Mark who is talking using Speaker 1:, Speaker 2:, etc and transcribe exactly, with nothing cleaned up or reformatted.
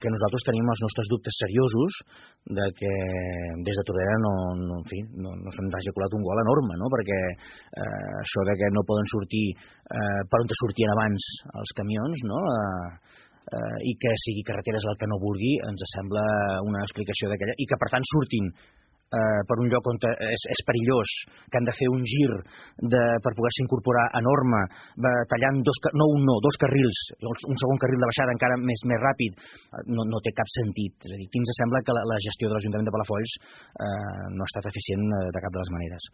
Speaker 1: que nosaltres tenim els nostres dubtes seriosos de que des de Tordera no, no, en fi, no, no se'ns hagi colat un gol enorme, no? Perquè eh, això de que no poden sortir eh, per on sortien abans els camions, no? Eh, eh, i que sigui carreteres el que no vulgui, ens sembla una explicació d'aquella, i que per tant surtin Uh, per un lloc on és, és perillós, que han de fer un gir de, per poder-se incorporar a norma, va, tallant dos, no un no, dos carrils, un segon carril de baixada encara més més ràpid, no, no té cap sentit. És a dir, aquí ens sembla que la, la gestió de l'Ajuntament de Palafolls uh, no ha estat eficient de cap de les maneres.